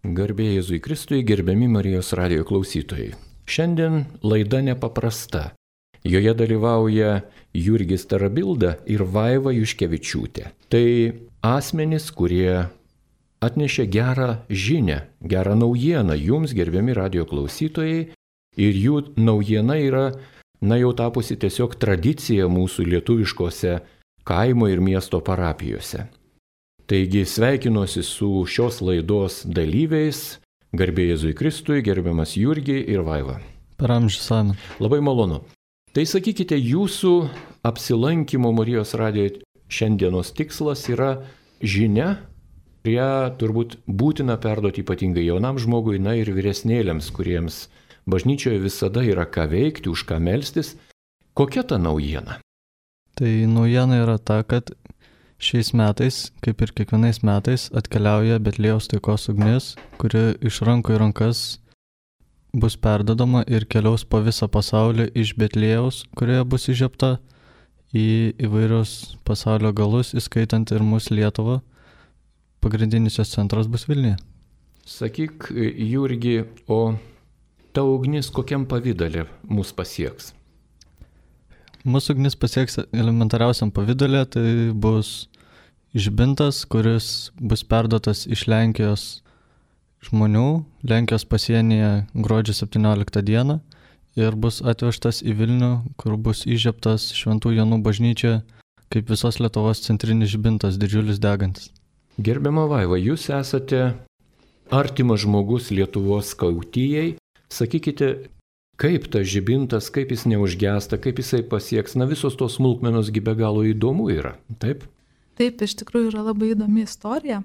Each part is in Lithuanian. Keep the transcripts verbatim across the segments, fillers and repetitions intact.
Garbė Jėzui Kristui, gerbiami Marijos radijo klausytojai. Šiandien laida nepaprasta. Joje dalyvauja Jurgis Tarabilda ir Vaiva Juškevičiūtė. Tai asmenys, kurie atnešė gerą žinią, gerą naujieną jums, gerbiami radijo klausytojai. Ir jų naujiena yra, na jau tapusi tiesiog tradicija mūsų lietuviškose kaimo ir miesto parapijose. Taigi sveikinuosi su šios laidos dalyviais, garbė Jėzui Kristui, gerbiamas Jurgi ir Vaiva. Per amžius amen. Labai malonu. Tai sakykite, jūsų apsilankimo Marijos radijoje šiandienos tikslas yra žinia, kurią turbūt būtina perduoti ypatingai jaunam žmogui, na ir vyresnėliams, kuriems bažnyčioje visada yra ką veikti, už ką melstis. Kokia ta naujiena? Tai naujiena yra ta, kad šiais metais, kaip ir kiekvienais metais, atkeliauja Betliejaus taikos ugnis, kuri iš rankų į rankas bus perdodama ir keliaus po visą pasaulį iš Betliejaus, kurioje bus įžiebta į įvairius pasaulio galus, įskaitant ir mūsų Lietuvą. Pagrindinis jos centras bus Vilniuje. Sakyk, Jurgi, o ta ugnis kokiam pavydale mus pasieks? Mūsų ugnis pasieks elementariausiam pavydale, tai bus žibintas, kuris bus perduotas iš Lenkijos žmonių, Lenkijos pasienyje gruodžio septynioliktą dieną ir bus atvežtas į Vilnių, kur bus įžiebtas Šventų Jonų bažnyčia kaip visos Lietuvos centrinis žibintas, didžiulis degantis. Gerbiama Vaiva, jūs esate artimas žmogus Lietuvos skautijai. Sakykite, kaip tas žibintas, kaip jis neužgęsta, kaip jisai pasieks, na visos tos smulkmenos gi be galo įdomu yra, taip? Taip, iš tikrųjų yra labai įdomi istorija.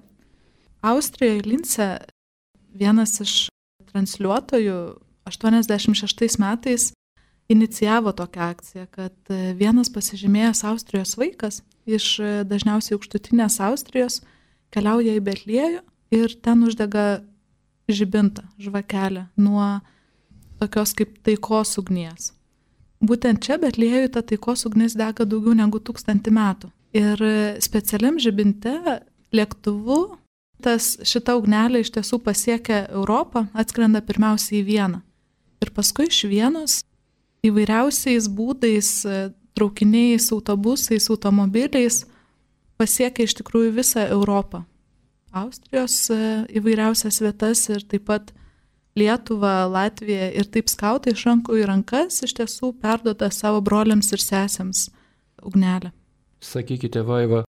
Austrijoje Lince vienas iš transliuotojų aštuoniasdešimt šeštais metais inicijavo tokią akciją, kad vienas pasižymėjęs Austrijos vaikas iš dažniausiai aukštutinės Austrijos keliauja į Betliejų ir ten uždega žibintą, žvakelę nuo tokios kaip taikos ugnies. Būtent čia Betliejui ta taikos ugnis dega daugiau negu tūkstantį metų. Ir specialiam žibinte lėktuvu tas šita ugnelė iš tiesų pasiekia Europą, atskrenda pirmiausiai į Vieną. Ir paskui iš Vienos įvairiausiais būdais, traukiniais, autobusais, automobiliais pasiekia iš tikrųjų visą Europą. Austrijos įvairiausias vietas ir taip pat Lietuvą, Latviją ir taip skautai iš rankų į rankas iš tiesų perduoda savo broliams ir sesėms ugnelę. Sakykite, Vaiva,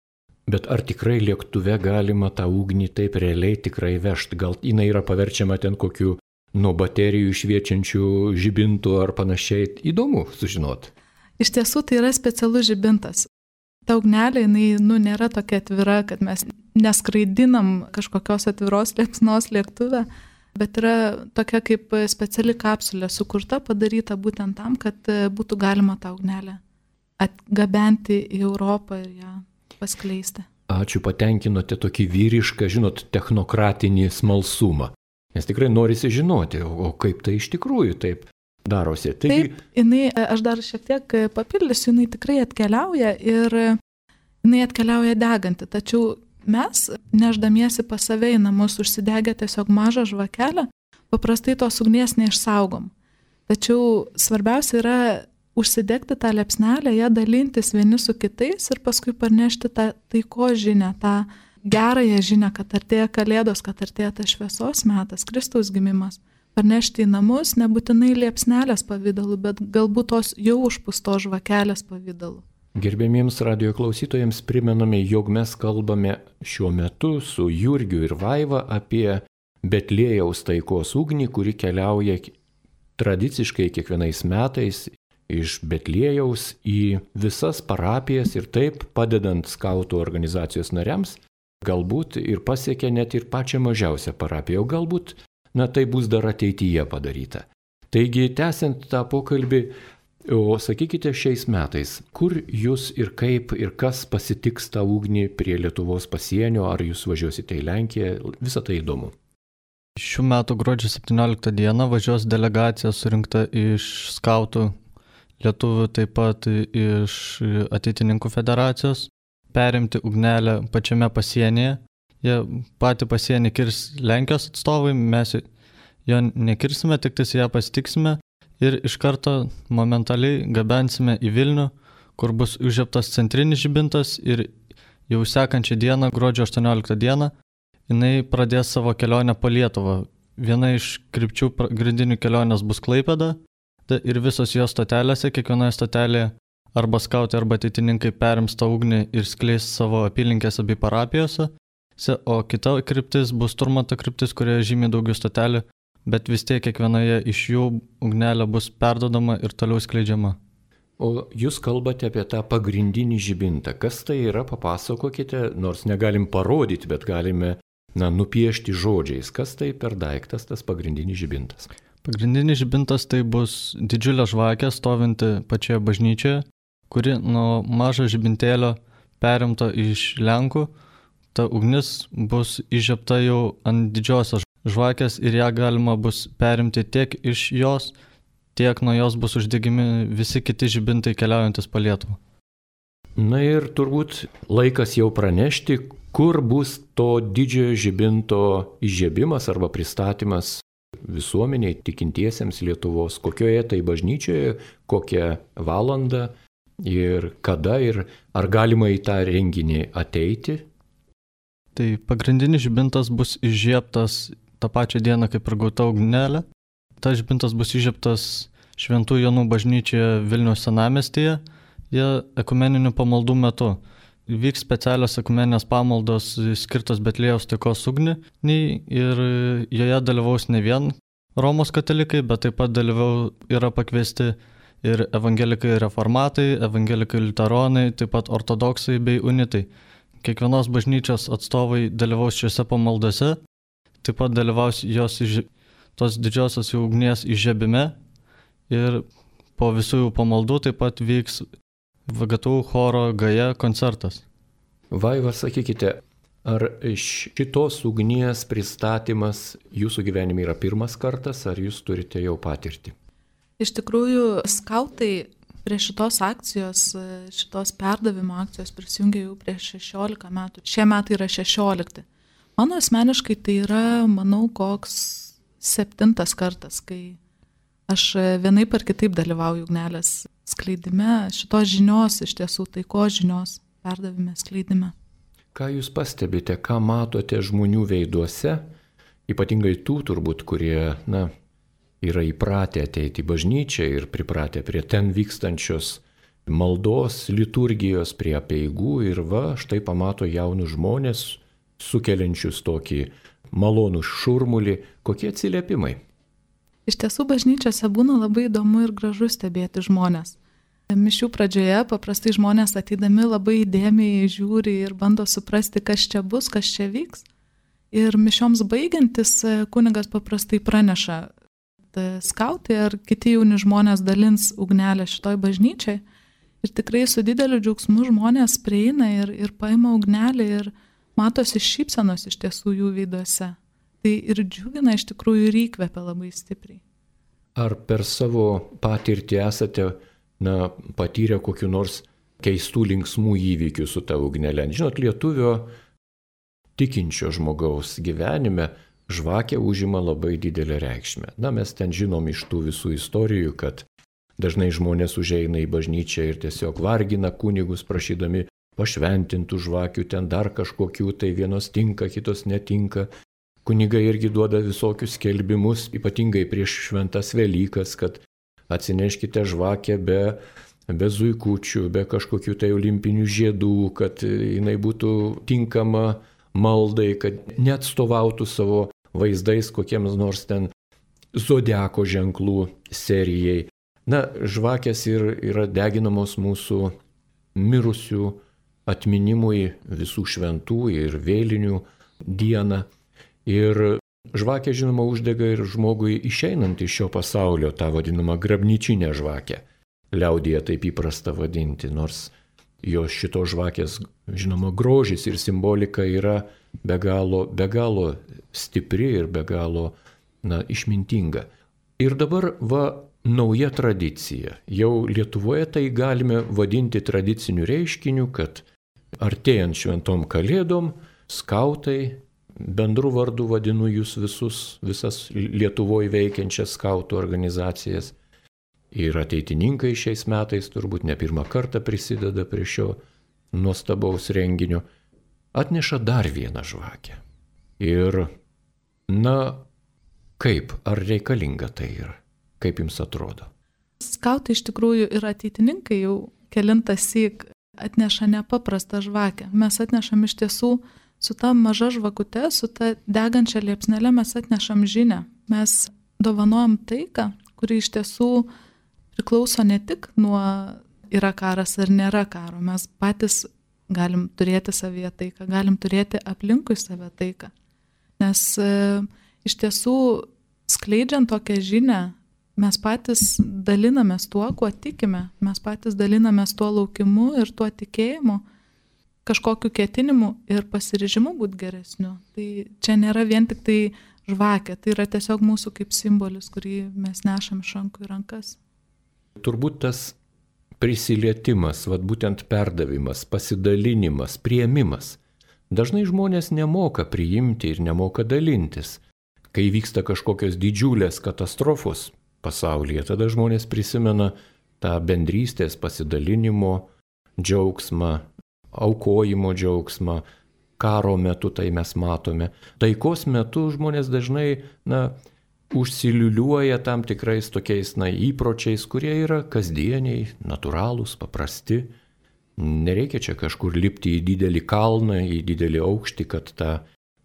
bet ar tikrai lėktuve galima tą ugnį taip realiai tikrai vežti? Gal jinai yra paverčiama ten kokiu nuo baterijų šviečiančių žibintų ar panašiai? Įdomu sužinoti. Iš tiesų tai yra specialus žibintas. Ta ugnelė, jinai, nu, nėra tokia atvira, kad mes neskraidinam kažkokios atviros liepsnos lėktuve, bet yra tokia kaip speciali kapsulė sukurta, padaryta būtent tam, kad būtų galima tą ugnelę atgabenti į Europą ir ją paskleisti. Ačiū, patenkinote tokį vyrišką, žinot, technokratinį smalsumą. Nes tikrai norisi žinoti, o kaip tai iš tikrųjų taip darosi. Taigi... Taip, jinai, aš dar šiek tiek papildysiu, jinai tikrai atkeliauja ir jinai atkeliauja deganti, tačiau mes, neždamiesi pas save į namus, užsidegę tiesiog mažą žvakelę, paprastai tos ugnies neišsaugom. Tačiau svarbiausia yra užsidegti tą liepsnelę, ją dalintis vieni su kitais ir paskui parnešti tą taiko žinią, tą gerąją žinią, kad artėja Kalėdos, kad artėja tas šviesos metas, Kristaus gimimas. Parnešti į namus nebūtinai liepsnelės pavidalu, bet galbūt tos jau užpustos žvakelės pavidalu. Gerbėmiems radijo klausytojams primename, jog mes kalbame šiuo metu su Jurgiu ir Vaiva apie Betliejaus taikos ugnį, kuri keliauja tradiciškai kiekvienais metais iš Betliejaus į visas parapijas ir taip padedant skautų organizacijos nariams, galbūt ir pasiekia net ir pačią mažiausią parapiją, o galbūt, na tai bus dar ateityje padaryta. Taigi, tęsiant tą pokalbį, o sakykite šiais metais, kur jūs ir kaip ir kas pasitiks tą ugnį prie Lietuvos pasienio, ar jūs važiuosite į Lenkiją, visą tai įdomu. Šių metų gruodžio septynioliktą dieną važiuos delegacija surinkta iš skautų lietuvių, taip pat iš ateitininkų federacijos, perimti ugnelę pačiame pasienyje jie patį pasienį kirs Lenkijos atstovai, mes jo nekirsime, tik tais ją pasitiksime ir iš karto momentaliai gabensime į Vilnių, kur bus užžiebtas centrinis žibintas ir jau sekančią dieną, gruodžio aštuonioliktą dieną, jinai pradės savo kelionę po Lietuvą. Viena iš krypčių pagrindinių kelionės bus Klaipėda ir visos jos stotelėse, kiekvienoje stotelėje arba skautai, arba ateitininkai perims tą ugnį ir skleis savo apylinkėse bei parapijose, o kita kryptis bus Turmanto kryptis, kurioje žymiai daugiau stotelių, bet vis tiek kiekvienoje iš jų ugnelė bus perdodama ir toliau skleidžiama. O jūs kalbate apie tą pagrindinį žibintą. Kas tai yra, papasakokite, nors negalim parodyti, bet galime na, nupiešti žodžiais. Kas tai per daiktas, tas pagrindinis žibintas? Pagrindinis žibintas tai bus didžiulė žvakė stovinti pačioje bažnyčioje, kuri nuo mažo žibintėlio perimta iš Lenkų. Ta ugnis bus įžiebta jau ant didžiosios žvakės ir ją galima bus perimti tiek iš jos, tiek nuo jos bus uždegimi visi kiti žibintai keliaujantis po Lietuvą. Na ir turbūt laikas jau pranešti, kur bus to didžiojo žibinto įžiebimas arba pristatymas visuomeniai, tikintiesiems Lietuvos, kokioje tai bažnyčioje, kokią valandą ir kada ir ar galima į tą renginį ateiti. Tai pagrindinis žibintas bus įžiebtas tą pačią dieną kaip ir gauta ugnelė. Tas žibintas bus įžiebtas Šventų Jonų bažnyčioje Vilniaus senamiestyje, jie ekumeninių pamaldų metu. Vyks specialios ekumeninės pamaldos skirtos Betliejaus taikos ugniai ir joje dalyvaus ne vien Romos katalikai, bet taip pat dalyvau yra pakviesti ir evangelikai reformatai, evangelikai liuteronai, taip pat ortodoksai bei unitai. Kiekvienos bažnyčios atstovai dalyvaus šiuose pamaldose, taip pat dalyvaus jos iš tos didžiosios jų ugnies įžiebime ir po visų jų pamaldų taip pat vyks V G T U choro Gaja koncertas. Vaiva, sakykite, ar šitos ugnies pristatymas jūsų gyvenime yra pirmas kartas, ar jūs turite jau patirtį? Iš tikrųjų, skautai prie šitos akcijos, šitos perdavimo akcijos prisijungė jau prieš šešiolika metų. Šie metai yra šešiolikti. Mano asmeniškai tai yra, manau, koks septintas kartas, kai aš vienaip ar kitaip dalyvauju ugnelės skleidime, šitos žinios, iš tiesų taikos žinios perdavime, skleidime. Ką jūs pastebite, ką matote žmonių veiduose, ypatingai tų turbūt, kurie, na, yra įpratę ateiti į bažnyčią ir pripratę prie ten vykstančios maldos, liturgijos, prie apeigų ir va, štai pamato jaunus žmonės, sukeliančius tokį malonų šurmulį, kokie atsiliepimai? Iš tiesų bažnyčiose būna labai įdomu ir gražu stebėti žmonės. Mišių pradžioje paprastai žmonės ateidami labai įdėmiai žiūri ir bando suprasti, kas čia bus, kas čia vyks. Ir mišioms baigiantis kunigas paprastai praneša, skautai ar kiti jauni žmonės dalins ugnelę šitoj bažnyčiai. Ir tikrai su dideliu džiaugsmu žmonės prieina ir, ir paima ugnelę ir matosi šypsenos iš tiesų jų veiduose. Tai ir džiugina iš tikrųjų ir įkvepia labai stipriai. Ar per savo patirtį esate na, patyrę kokiu nors keistų linksmų įvykių su ta ugnelė? Žinot, lietuvio tikinčio žmogaus gyvenime žvakė užima labai didelę reikšmę. Na, mes ten žinom iš tų visų istorijų, kad dažnai žmonės užeina į bažnyčią ir tiesiog vargina kunigus prašydami pašventintų žvakių, ten dar kažkokių, tai vienos tinka, kitos netinka. Kunigai irgi duoda visokius skelbimus, ypatingai prieš šventas Velykas, kad atsineškite žvakę be, be zuikučių, be kažkokių tai olimpinių žiedų, kad jinai būtų tinkama maldai, kad neatstovautų savo vaizdais kokiems nors ten zodiako ženklų serijai. Na, žvakės ir, yra deginamos mūsų mirusių atminimui visų šventų ir vėlinių dieną. Ir žvakė, žinoma, uždega ir žmogui išeinant iš šio pasaulio, tą vadinamą grabnyčinę žvakę. Liaudyje taip įprasta vadinti, nors jos šito žvakės, žinoma, grožis ir simbolika yra be galo, be galo stipri ir be galo, na, išmintinga. Ir dabar, va, nauja tradicija. Jau Lietuvoje tai galime vadinti tradiciniu reiškiniu, kad artėjant šventom kalėdom skautai, bendru vardu vadinu jūs visus, visas Lietuvoje veikiančias skautų organizacijas. Ir ateitininkai šiais metais turbūt ne pirmą kartą prisideda prie šio nuostabaus renginio, atneša dar vieną žvakę. Ir, na, kaip, ar reikalinga tai yra? Kaip jums atrodo? Skautai iš tikrųjų ir ateitininkai jau kelintas syk atneša nepaprastą žvakę. Mes atnešam iš tiesų su ta maža žvakute, su ta degančia liepsnele mes atnešam žinią. Mes dovanojam taiką, kuri iš tiesų priklauso ne tik nuo yra karas ar nėra karo. Mes patys galim turėti savyje taiką, galim turėti aplinkui save taiką. Nes e, iš tiesų skleidžiant tokią žinią, mes patys dalinamės tuo, kuo tikime. Mes patys dalinamės tuo laukimu ir tuo tikėjimu, kažkokiu ketinimu ir pasiryžimu būti geresniu. Tai čia nėra vien tik tai žvakė, tai yra tiesiog mūsų kaip simbolis, kurį mes nešam iš rankų į rankas. Turbūt tas prisilietimas, vat būtent perdavimas, pasidalinimas, priėmimas. Dažnai žmonės nemoka priimti ir nemoka dalintis. Kai vyksta kažkokios didžiulės katastrofos pasaulyje, tada žmonės prisimena tą bendrystės pasidalinimo džiaugsmą, aukojimo džiaugsmą. Karo metu tai mes matome. Taikos metu žmonės dažnai, na, užsiliuliuoja tam tikrais tokiais, na, įpročiais, kurie yra kasdieniai, natūralūs, paprasti. Nereikia čia kažkur lipti į didelį kalną, į didelį aukštį, kad tą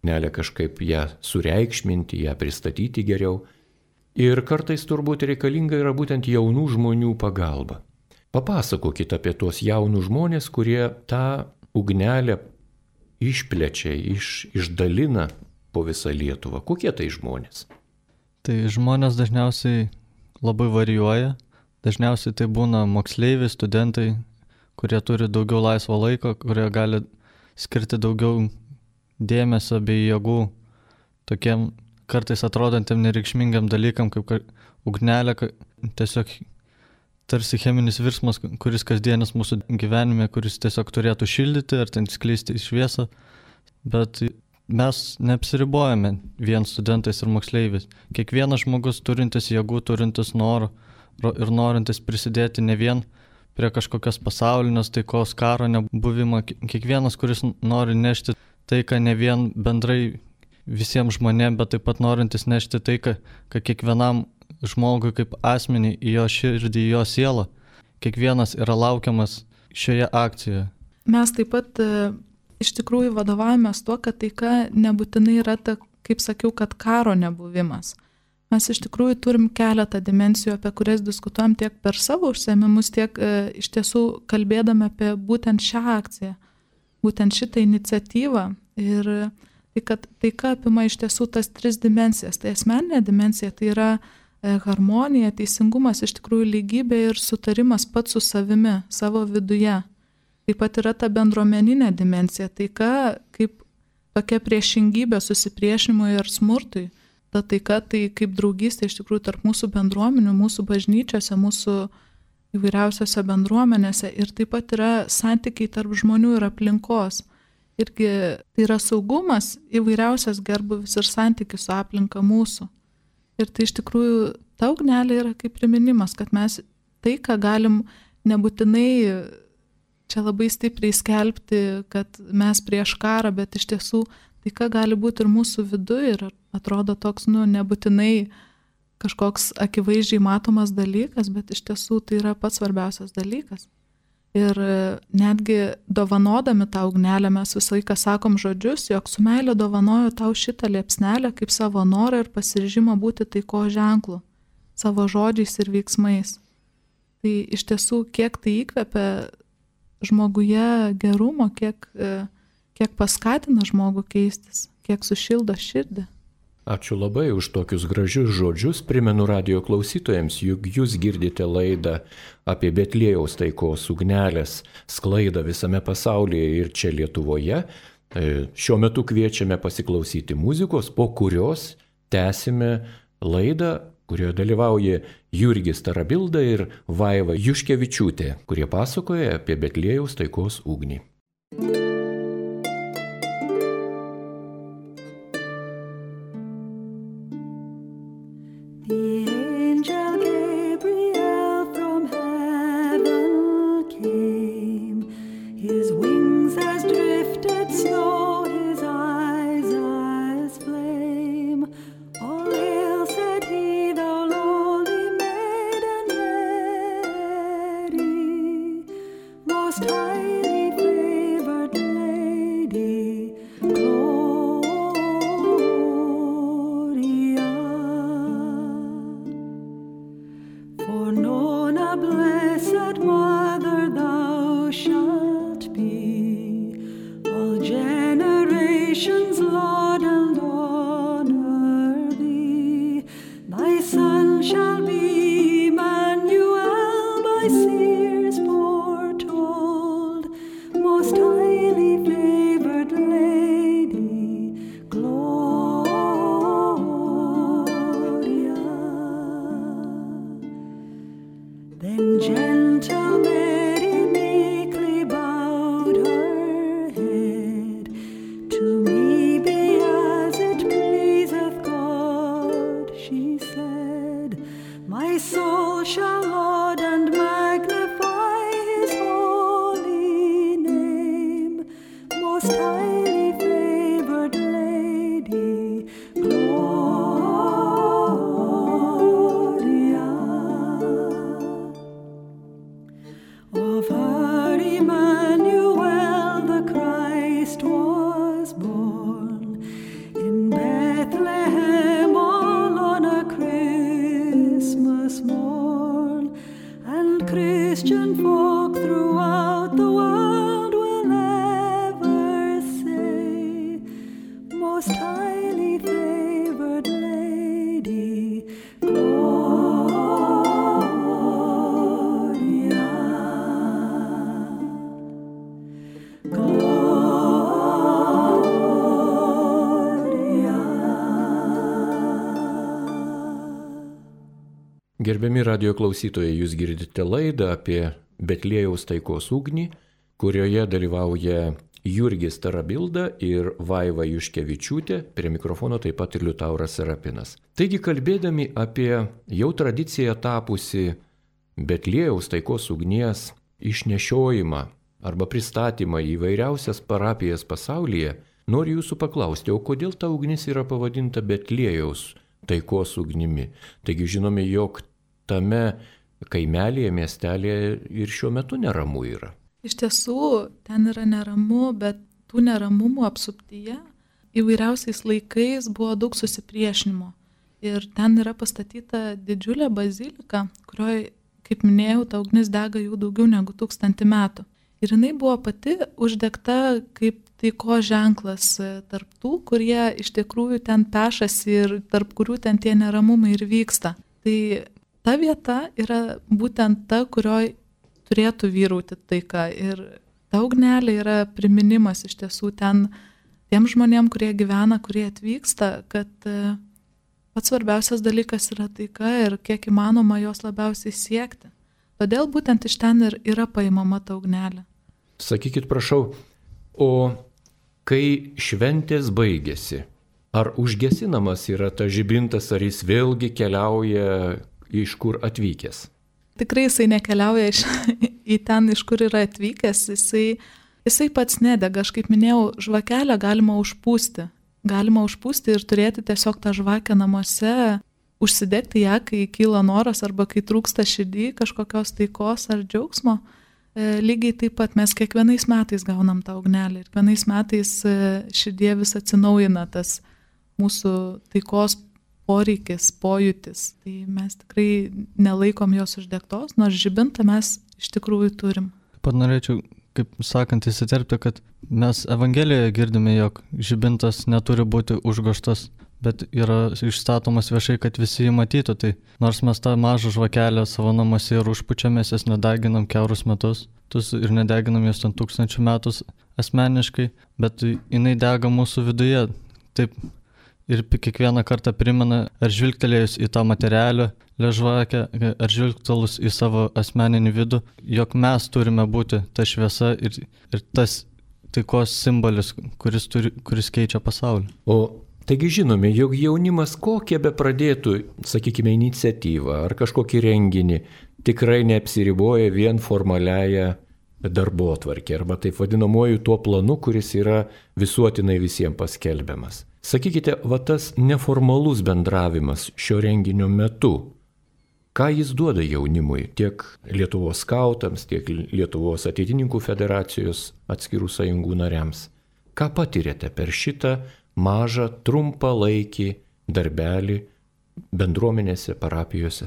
nelę kažkaip ją sureikšminti, ją pristatyti geriau. Ir kartais turbūt reikalinga yra būtent jaunų žmonių pagalba. Papasakokit apie tuos jaunus žmonės, kurie tą ugnelę išplečia, iš, išdalina po visą Lietuvą. Kokie tai žmonės? Tai žmonės dažniausiai labai varijuoja. Dažniausiai tai būna moksleiviai, studentai, kurie turi daugiau laisvo laiko, kurie gali skirti daugiau dėmesio bei jėgų tokiem kartais atrodantiem nereikšmingam dalykam, kaip ugnelė, tiesiog tarsi cheminis virsmas, kuris kasdienis mūsų gyvenime, kuris tiesiog turėtų šildyti ar ten skleisti šviesą, bet mes neapsiribojame vien studentais ir moksleiviais. Kiekvienas žmogus turintis jėgų, turintis norų ir norintis prisidėti ne vien prie kažkokios pasaulinės taikos, karo nebuvimo, kiekvienas, kuris nori nešti taiką ne vien bendrai visiems žmonėms, bet taip pat norintis nešti taiką, kad kiekvienam žmogui kaip asmeniai į jo širdį, į jo sielą, kiekvienas yra laukiamas šioje akcijoje. Mes taip pat e, iš tikrųjų vadovavomės tuo, kad taika nebūtinai yra ta, kaip sakiau, kad karo nebuvimas. Mes iš tikrųjų turim keletą dimensijų, apie kurias diskutuojam tiek per savo užsiėmimus, tiek e, iš tiesų kalbėdami apie būtent šią akciją, būtent šitą iniciatyvą. Ir tai, kad taika apima iš tiesų tas tris dimensijas. Tai asmeninė dimensija, tai yra e, harmonija, teisingumas, iš tikrųjų lygybė ir sutarimas pats su savimi, savo viduje. Taip pat yra ta bendruomeninė dimensija, taika kaip tokia priešingybė susipriešinimui ir smurtui. Ta taika tai kaip draugystė iš tikrųjų tarp mūsų bendruomenių, mūsų bažnyčiose, mūsų įvairiausiose bendruomenėse ir taip pat yra santykiai tarp žmonių ir aplinkos. Irgi tai yra saugumas, įvairiausias gerbūvis ir santykis su aplinka mūsų. Ir tai iš tikrųjų ta ugnelė yra kaip priminimas, kad mes taiką galim nebūtinai čia labai stipriai skelbti, kad mes prieš karą, bet iš tiesų taika gali būti ir mūsų viduje ir atrodo toks, nu, nebūtinai kažkoks akivaizdžiai matomas dalykas, bet iš tiesų tai yra pats svarbiausias dalykas. Ir netgi dovanodami tą ugnelę mes visą laiką sakom žodžius, jog su meile dovanoju tau šitą liepsnelę kaip savo norą ir pasiryžimą būti taiko ženklu, savo žodžiais ir veiksmais. Tai iš tiesų, kiek tai įkvepia žmoguje gerumo, kiek, kiek paskatina žmogų keistis, kiek sušildo širdį. Ačiū labai už tokius gražius žodžius. Primenu radijo klausytojams, juk jūs girdite laidą apie Betliejaus taikos ugnelės sklaidą visame pasaulyje ir čia Lietuvoje. Šiuo metu kviečiame pasiklausyti muzikos, po kurios tęsime laidą, kurioje dalyvauja Jurgis Tarabilda ir Vaiva Juškevičiūtė, kurie pasakoja apie Betliejaus taikos ugnį. Gerbiami radio klausytojai, jūs girdite laidą apie Betliejaus taikos ugnį, kurioje dalyvauja Jurgis Tarabilda ir Vaiva Juškevičiūtė, prie mikrofono taip pat ir Liutauras Serapinas. Taigi, kalbėdami apie jau tradiciją tapusi Betliejaus taikos ugnies išnešiojimą arba pristatymą į įvairiausias parapijas pasaulyje, noriu jūsų paklausti, o kodėl ta ugnis yra pavadinta Betliejaus taikos ugnimi? Taigi žinome, jog tame kaimelėje, miestelėje ir šiuo metu neramu yra. Iš tiesų, ten yra neramu, bet tų neramumų apsuptyje įvairiausiais laikais buvo daug susipriešinimo. Ir ten yra pastatyta didžiulė bazilika, kurioje, kaip minėjau, ta ugnis dega jau daugiau negu tūkstantį metų. Ir jinai buvo pati uždegta kaip taikos ženklas tarp tų, kurie iš tikrųjų ten pešasi ir tarp kurių ten tie neramumai ir vyksta. Tai ta vieta yra būtent ta, kurioj turėtų vyrauti taika. Ir ta ugnelė yra priminimas iš tiesų ten tiem žmonėm, kurie gyvena, kurie atvyksta, kad pats svarbiausias dalykas yra taika ir kiek įmanoma jos labiausiai siekti. Todėl būtent iš ten ir yra paimama ta ugnelė. Sakykit, prašau, o kai šventės baigėsi, ar užgesinamas yra ta žibintas, ar jis vėlgi keliauja iš kur atvykęs? Tikrai jisai nekeliauja iš, į ten, iš kur yra atvykęs, jisai, jisai pats nedega. Aš kaip minėjau, žvakelę galima užpūsti. Galima užpūsti ir turėti tiesiog tą žvakę namuose, užsidegti ją, kai kyla noras arba kai trūksta širdį kažkokios taikos ar džiaugsmo. E, lygiai taip pat mes kiekvienais metais gaunam tą ugnelę ir kiekvienais metais širdie vis atsinaujina tas mūsų taikos poreikis, pojūtis. Tai mes tikrai nelaikom jos uždegtos, nors žibintą mes iš tikrųjų turim. Pat norėčiau, kaip sakant, įsiterpti, kad mes Evangelijoje girdime, jog žibintas neturi būti užgoštas, bet yra išstatomas viešai, kad visi jį matytų. Tai nors mes tą mažą žvakelę savo namuose ir užpučiamės, jas nedeginam kiaurus metus, ir nedeginam jos ten tūkstančių metus asmeniškai, bet jinai dega mūsų viduje. Taip, ir kiekvieną kartą primena, ar žvilgtelėjus į tą materialę žvakę, ar žvilgtelus į savo asmeninį vidų, jog mes turime būti ta šviesa ir, ir tas taikos simbolis, kuris, turi, kuris keičia pasaulį. O Taigi žinome, jog jaunimas kokią be pradėtų, sakykime, iniciatyvą ar kažkokį renginį, tikrai neapsiriboja vien formaliaja darbotvarkė arba taip vadinamuoju tuo planu, kuris yra visuotinai visiems paskelbiamas. Sakykite, va tas neformalus bendravimas šio renginio metu, ką jis duoda jaunimui, tiek Lietuvos skautams, tiek Lietuvos ateitininkų federacijos atskirų sąjungų nariams. Ką patirėte per šitą mažą, trumpą laikį darbelį bendruomenėse, parapijose?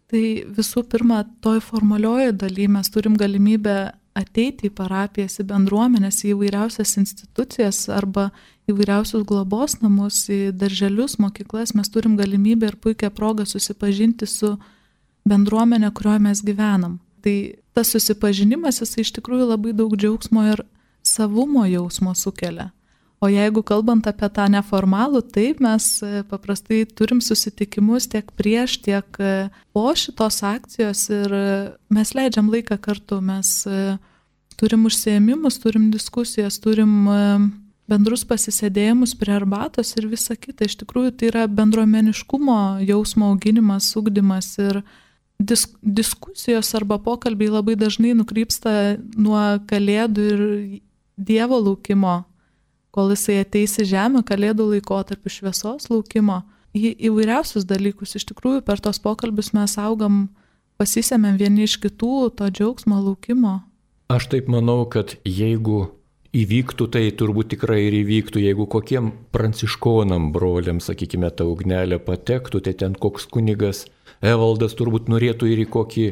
Tai visų pirma, toj formalioje daly mes turim galimybę ateiti į parapijas, į bendruomenės, į įvairiausias institucijas arba įvairiausius globos namus, į darželius, mokyklas. Mes turim galimybę ir puikią progą susipažinti su bendruomenė, kurioje mes gyvenam. Tai tas susipažinimas, jis iš tikrųjų labai daug džiaugsmo ir savumo jausmo sukelia. O jeigu kalbant apie tą neformalų, taip mes paprastai turim susitikimus tiek prieš, tiek po šitos akcijos ir mes leidžiam laiką kartu. Mes turim užsiėmimus, turim diskusijas, turim bendrus pasisėdėjimus prie arbatos ir visa kita. Iš tikrųjų tai yra bendruomeniškumo jausmo auginimas, ugdymas ir disk- diskusijos arba pokalbiai labai dažnai nukrypsta nuo kalėdų ir Dievo laukimo, kol jisai ateis į žemę, kalėdų laikotarpiu šviesos laukimo, į įvairiausius dalykus. Iš tikrųjų, per tos pokalbius mes augam, pasisėmėm vieni iš kitų, to džiaugsmo laukimo. Aš taip manau, kad jeigu įvyktų, tai turbūt tikrai ir įvyktų, jeigu kokiem pranciškonam broliam, sakykime, ta ugnelė patektų, tai ten koks kunigas Evaldas turbūt norėtų ir į kokį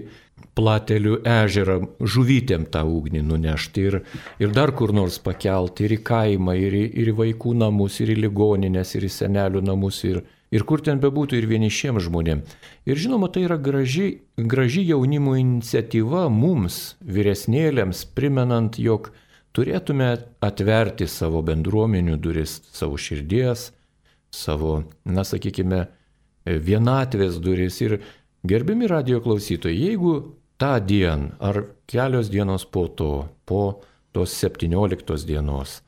Platelių ežerą žuvytėm tą ugnį nunešti ir, ir dar kur nors pakelti, ir į kaimą, ir į, ir į vaikų namus, ir į ligoninės, ir į senelių namus, ir, ir kur ten bebūtų, ir vienišiem žmonėm. Ir žinoma, tai yra graži, graži jaunimo iniciatyva mums, vyresnėlėms, primenant, jog turėtume atverti savo bendruomenių duris, savo širdies, savo, na sakykime, vienatvės duris. Ir gerbiami radijo klausytojai, jeigu tą dieną ar kelios dienos po to, po tos septynioliktos dienos,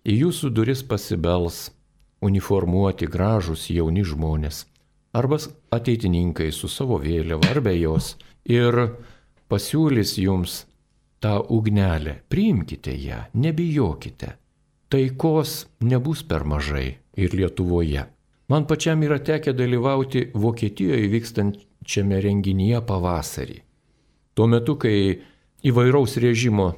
į jūsų duris pasibels uniformuoti gražūs jauni žmonės arba ateitininkai su savo vėliava ar be jos ir pasiūlys jums tą ugnelę, priimkite ją, nebijokite. Taikos nebus per mažai ir Lietuvoje. Man pačiam yra tekę dalyvauti Vokietijoje vykstančiame renginyje pavasarį. Tuo metu, kai įvairaus režimo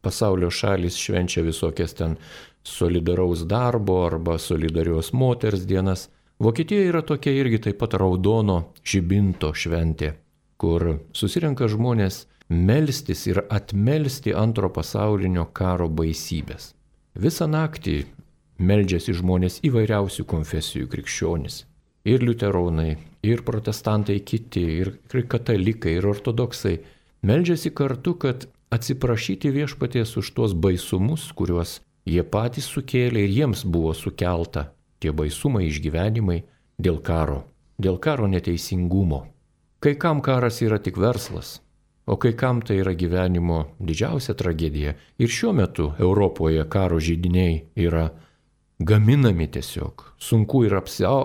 pasaulio šalis švenčia visokias ten solidaraus darbo arba solidarios moters dienas, Vokietijoje yra tokia irgi taip pat raudono žibinto šventė, kur susirenka žmonės melstis ir atmelsti antro pasaulinio karo baisybės. Visą naktį meldžiasi žmonės įvairiausių konfesijų krikščionys. Ir liuteronai, ir protestantai kiti, ir katalikai, ir ortodoksai. Meldžiasi kartu, kad atsiprašyti viešpaties už tuos baisumus, kuriuos jie patys sukėlė ir jiems buvo sukelta. Tie baisumai, išgyvenimai dėl karo, dėl karo neteisingumo. Kai kam karas yra tik verslas, o kai kam tai yra gyvenimo didžiausia tragedija. Ir šiuo metu Europoje karo židiniai yra gaminami tiesiog. Sunku yra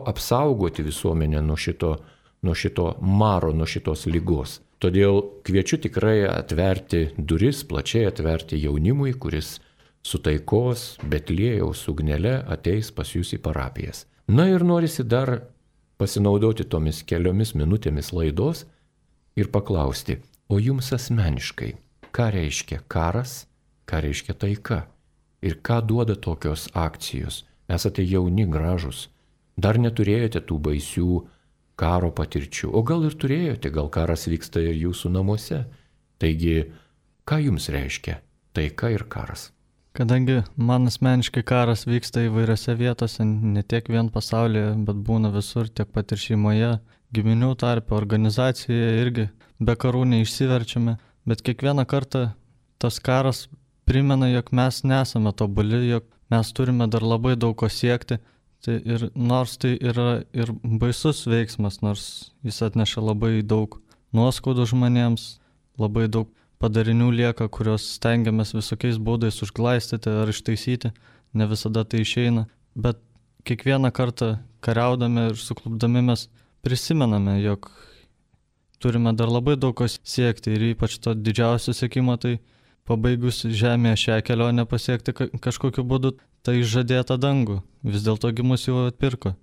apsaugoti visuomenę nuo šito, nuo šito maro, nuo šitos lygos. Todėl kviečiu tikrai atverti duris, plačiai atverti jaunimui, kuris su taikos Betliejaus ugnele ateis pas jūs į parapijas. Na ir norisi dar pasinaudoti tomis keliomis minutėmis laidos ir paklausti, o jums asmeniškai, ką reiškia karas, ką reiškia taika? Ir ką duoda tokios akcijos? Esate jauni, gražus, dar neturėjote tų baisių karo patirčių, o gal ir turėjote, gal karas vyksta ir jūsų namuose. Taigi, ką jums reiškia taika ir karas? Kadangi man asmeniškai karas vyksta įvairiose vietose, ne tiek vien pasaulyje, bet būna visur, tiek pat ir šeimoje, giminių tarpe, organizacijoje irgi be karų neišsiverčiame, bet kiekvieną kartą tas karas primena, jog mes nesame tobuli, jog mes turime dar labai daug ko siekti. Tai ir nors tai yra ir baisus veiksmas, nors jis atneša labai daug nuoskaudų žmonėms, labai daug padarinių lieka, kurios stengiamės visokiais būdais užglaistyti ar ištaisyti, ne visada tai išeina. Bet kiekvieną kartą kariaudami ir suklupdami mes prisimename, jog turime dar labai daug ko siekti ir ypač to didžiausio siekimo, tai pabaigus žemėje šią kelionę pasiekti kažkokiu būdu, tai žadėtą dangų. Vis dėlto mus jau atpirko.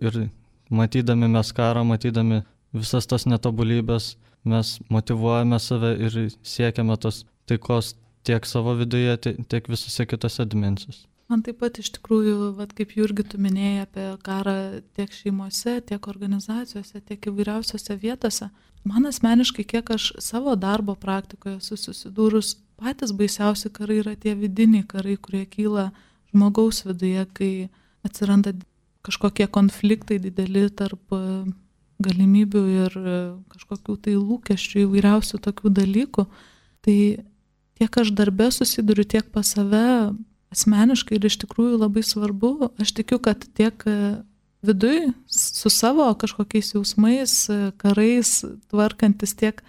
Ir matydami mes karą, matydami visas tas netobulybės, mes motyvuojame save ir siekiame tos taikos tiek savo viduje, tiek visose kitose dimensijose. Man taip pat iš tikrųjų, vat, kaip Jurgi tu minėjai apie karą tiek šeimose, tiek organizacijose, tiek įvairiausiose vietose. Man asmeniškai, kiek aš savo darbo praktikoje susidūrus, patys baisiausi karai yra tie vidiniai karai, kurie kyla žmogaus viduje, kai atsiranda kažkokie konfliktai dideli tarp galimybių ir kažkokių tai lūkesčių įvairiausių tokių dalykų. Tai tiek aš darbe susiduriu, tiek pas save asmeniškai ir iš tikrųjų labai svarbu. Aš tikiu, kad tiek viduj su savo kažkokiais jausmais, karais tvarkantis, tiek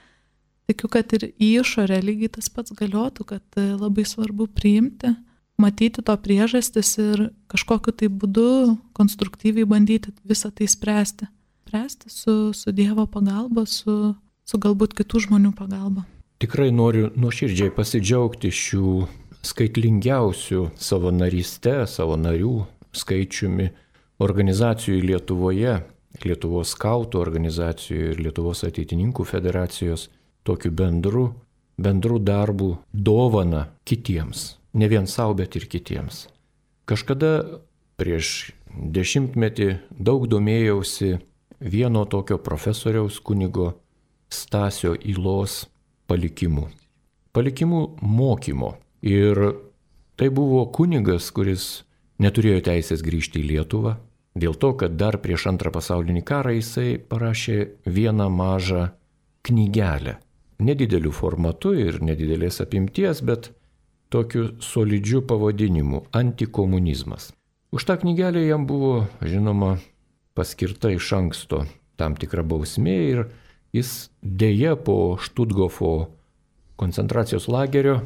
tikiu, kad ir į išorę lygiai tas pats galiotų, kad labai svarbu priimti, matyti to priežastis ir kažkokiu tai būdu konstruktyviai bandyti visą tai spręsti. Spręsti su, su Dievo pagalba, su, su galbūt kitų žmonių pagalba. Tikrai noriu nuoširdžiai pasidžiaugti šių skaitlingiausių savo naryste, savo narių skaičiumi organizacijų Lietuvoje, Lietuvos skautų organizacijų ir Lietuvos ateitininkų federacijos tokiu bendru, bendru darbu dovana kitiems. Ne vien savo, bet ir kitiems. Kažkada prieš dešimtmetį daug domėjausi vieno tokio profesoriaus kunigo Stasio Ylos palikimu. Palikimų mokymo. Ir tai buvo kunigas, kuris neturėjo teisės grįžti į Lietuvą, dėl to, kad dar prieš antrą pasaulinį karą jisai parašė vieną mažą knygelę. Nedideliu formatu ir nedidelės apimties, bet tokiu solidžiu pavadinimu – Antikomunizmas. Už tą knygelę jam buvo, žinoma, paskirta iš anksto tam tikra bausmė ir jis dėja po Štutgofo koncentracijos lagerio,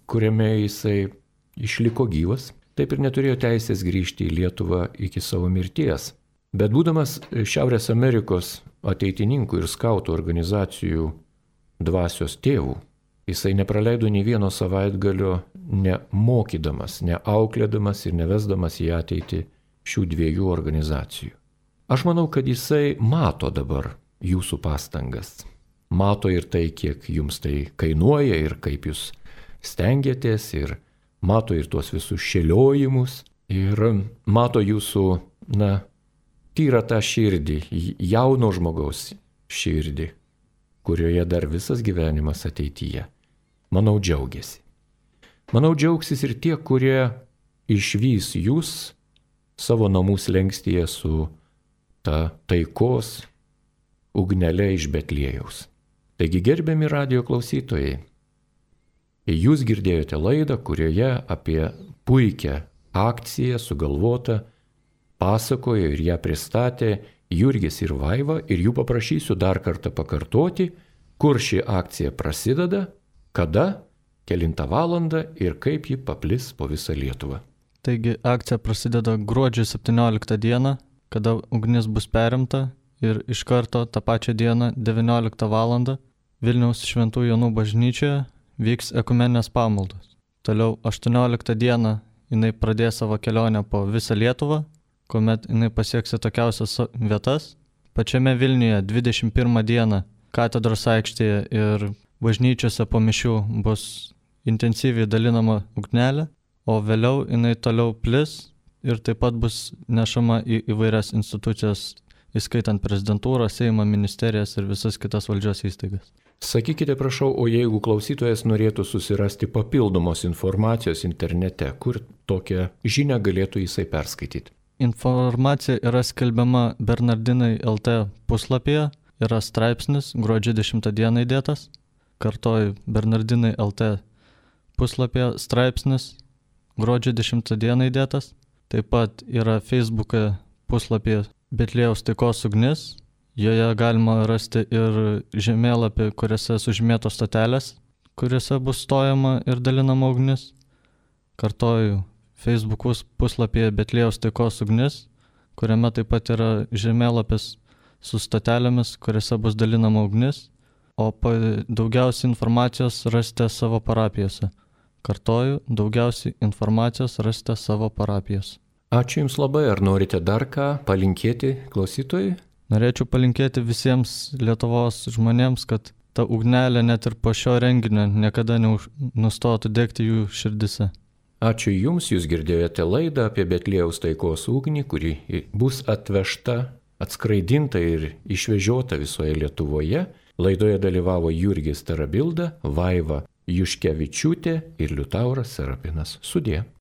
kuriame jisai išliko gyvas, taip ir neturėjo teisės grįžti į Lietuvą iki savo mirties. Bet būdamas Šiaurės Amerikos ateitininkų ir skautų organizacijų dvasios tėvų, jisai nepraleido nei vieno savaitgalio nemokydamas, neauklėdamas ir nevesdamas į ateitį šių dviejų organizacijų. Aš manau, kad jisai mato dabar jūsų pastangas. Mato ir tai, kiek jums tai kainuoja ir kaip jūs stengiatės, ir mato ir tuos visus šėliojimus, ir mato jūsų, na, tyrą tą širdį, jauno žmogaus širdį, kurioje dar visas gyvenimas ateityje. Manau, džiaugiasi. Manau, džiaugsis ir tie, kurie išvys jūs savo namų slengstyje su ta taikos ugnele iš Betliejaus. Taigi, gerbiami radijo klausytojai, jūs girdėjote laidą, kurioje apie puikią akciją sugalvotą pasakojo ir ją pristatė Jurgis ir Vaiva, ir jų paprašysiu dar kartą pakartoti, kur ši akcija prasideda, kada, kelintą valandą ir kaip ji paplis po visą Lietuvą. Taigi akcija prasideda gruodžio septynioliktą dieną, kada ugnis bus perimta, ir iš karto tą pačią dieną devynioliktą valandą Vilniaus Šventų Jonų bažnyčioje vyks ekumeninės pamaldos. Toliau aštuonioliktą dieną jinai pradės savo kelionę po visą Lietuvą, kuomet jinai pasieks tokiausias vietas. Pačiame Vilniuje dvidešimt pirmą dieną katedros aikštėje ir bažnyčiose po mišių bus intensyviai dalinama ugnelė, o vėliau jinai toliau plis ir taip pat bus nešama į įvairias institucijas, įskaitant prezidentūrą, Seimą, ministerijas ir visas kitas valdžios įstaigas. Sakykite, prašau, o jeigu klausytojas norėtų susirasti papildomos informacijos internete, kur tokią žinią galėtų jisai perskaityti? Informacija yra skelbiama Bernardinai L T puslapyje, yra straipsnis gruodžio dešimtą dieną įdėtas. Kartoju, Bernardinai L T puslapyje straipsnis gruodžio dešimtą dieną įdėtas. Taip pat yra Facebook'e puslapyje Betliejaus taikos ugnis. Joje galima rasti ir žemėlapį, kuriuose sužymėtos stotelės, kuriuose bus stojama ir dalinama ugnis. Kartoju, Facebook puslapyje Betliejaus taikos ugnis. kuriame taip pat yra žemėlapis su stotelėmis, kuriuose bus dalinama ugnis, o daugiausiai informacijos rasite savo parapijose. Kartoju, daugiausiai informacijos rasite savo parapijos. Ačiū Jums labai. Ar norite dar ką palinkėti klausytojui? Norėčiau palinkėti visiems Lietuvos žmonėms, kad ta ugnelė net ir po šio renginio niekada nenustotų degti jų širdise. Ačiū Jums, Jūs girdėjote laidą apie Betliejaus taikos ugnį, kuri bus atvežta, atskraidinta ir išvežiota visoje Lietuvoje. Laidoje dalyvavo Jurgis Tarabilda, Vaiva Juškevičiūtė ir Liutauras Serapinas. Sudie.